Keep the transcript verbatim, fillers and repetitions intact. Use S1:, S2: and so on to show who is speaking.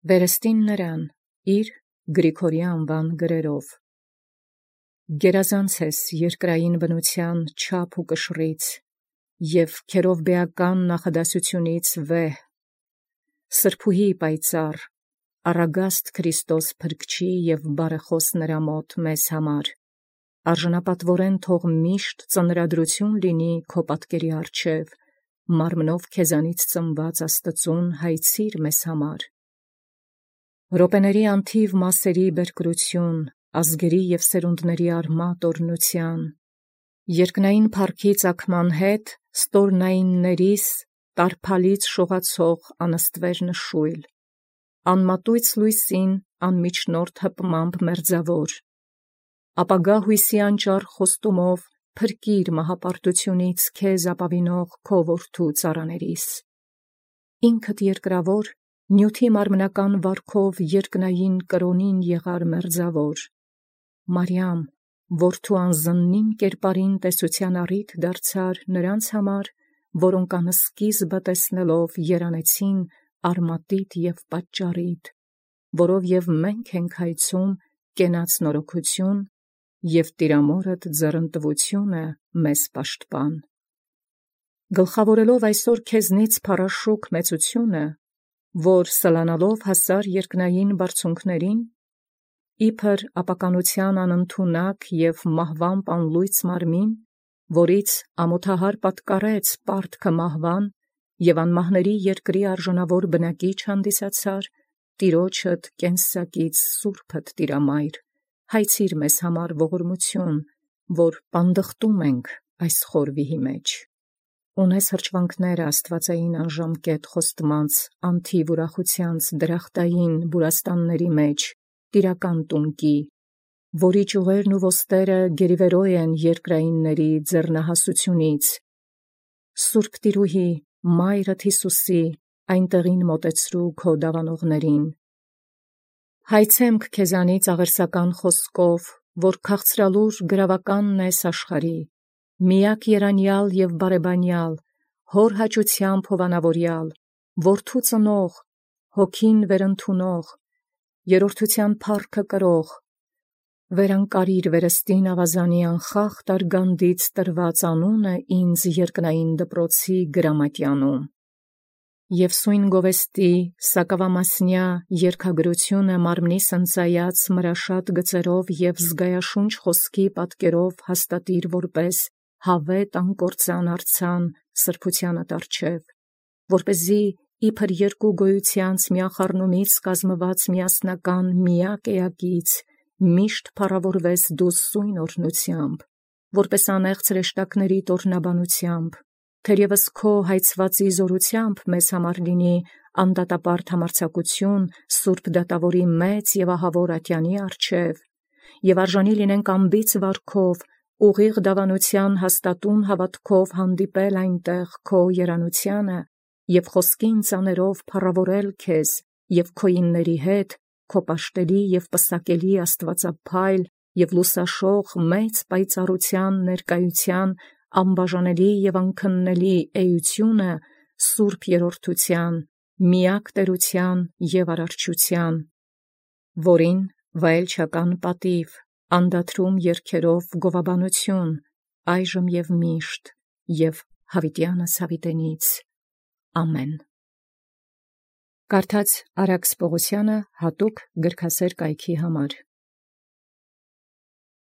S1: Վերստին նրան իր Գրիգորի անվան գրերով. Գերազանց ես երկրային բնութեան չափ ու կշռից, և քերովբեական նախադասությունից վեհ, սրբուհի պայծառ, առագաստ Քրիստոս փրկչի և բարեխոս նրա մոտ մեզ համար, արժանապատվորեն թող միշտ ծնրադրություն լինի քո պատկերի առջև, մարմնով քեզանից ծնված Աստծուն հայցիր մեզ համար։ Րոպեների անթիվ մասերի բերկրություն, ազգերի և սերունդների արմատ օրհնության, երկնային փառքի ծագման հետ ստորնայիններիս տարփալից շողացող անըստվեր նշույլ, անմատույց լույսին անմիջնորդ հպմամբ մերձավոր, ապագա հույսի անճառ խոստումով փրկիր մահապարտությունից քեզ ապավինող քո որդու ծառաներիս, ինքդ երկրավոր, նյութի մարմնական վարքով երկնային կրոնին եղար մերձավոր, Մարիամ, որդու անզննին կերպարին տեսության առիթ դարձար նրանց համար, որոնք անսկիզբը տեսնելով երանեցին արմատիդ և պատճառիդ, որով և մենք ենք հայցում կենաց նորոգություն, և Տիրամորդ ձեռնտվությունը մեզ պաշտպան։ Գլխավորելով այսօր քեզնից փառաշուք մեծությունը, որ սլանալով հասար երկնային բարձունքներին, իբր ապականության անընդունակ և մահվամբ անլույծ մարմին, որից ամոթահար պատկառեց պարտքը մահվան և անմահների երկրի արժանավոր բնակիչ հանդիսացար, Տիրոջդ կենսակից սուրբդ Տիրամայր, հայցիր մեզ համար ողորմություն, որ պանդխտում ենք այս խորվիհի մեջ։ Ունես հրճվանքները աստվածային անժամկետ խոստմանց անթիվ ուրախությանց դրախտային բուրաստանների մեջ, տիրական տունկի, որի ճյուղերն ու ոստերը գերիվերո են երկրայինների ձեռնահասությունից, Սուրբ Տիրուհի, Մայրդ Հիսուսի, այնտեղին մոտեցրու քո դավանողներին։ Հայցեմք քեզանից աղերսական խոսքով, որ քաղցրալուր գրավականն ես աշխարհի, միակ երանյալ և բարեբանյալ, հոր հաճությամբ հովանավորյալ, որդու ծնող, հոգին վերընդունող, երրորդության փառքը կրող, վերանկարիր վերստին ավազանի անխախտ արգանդից տրված անունը ինձ երկնային դպրոցի գրամատյանում, և սույն գովեստի սակավամասնյա երգագրությունը մարմնիս ընծայած մրաշատ գծերով և զգայաշունչ խոսքի պատկերով հաստատիր որպես հավետ անկործան արձան սրբությանդ առջև, որպեսզի իբր երկու գոյությանց միախառնումից կազմված միասնական միակ էակից միշտ փառավորվես դու սույն օրհնությամբ, որպես անեղծ հրեշտակներիդ օրհնաբանությամբ, թերևս քո հայցվածի զորությամբ մեզ համար լինի անդատապարտ համարձակություն Սուրբ Դատավորի մեծ և ահավոր ատյանի առջև, և արժանի լինենք անբիծ վարքով ուղիղ դավանության հաստատուն հավատքով հանդիպել այնտեղ քո երանությանը և խոսքին ծաներով փառավորել քեզ և քոյինների հետ քո պաշտելի և պսակելի աստվածափայլ և լուսաշող մեծ պայծառության ներկայության անբաժանելի և անքննելի էությունը սուրբ երրորդության, միակ տերության և արարչության, որին վայելչական պատիվ, անդադրում երգերով գովաբանություն, այժմ և միշտ, և հավիտյանս հավիտենից, ամեն։ Կարդաց Արաքս Պողոսյանը հատուկ գրքասեր կայքի համար։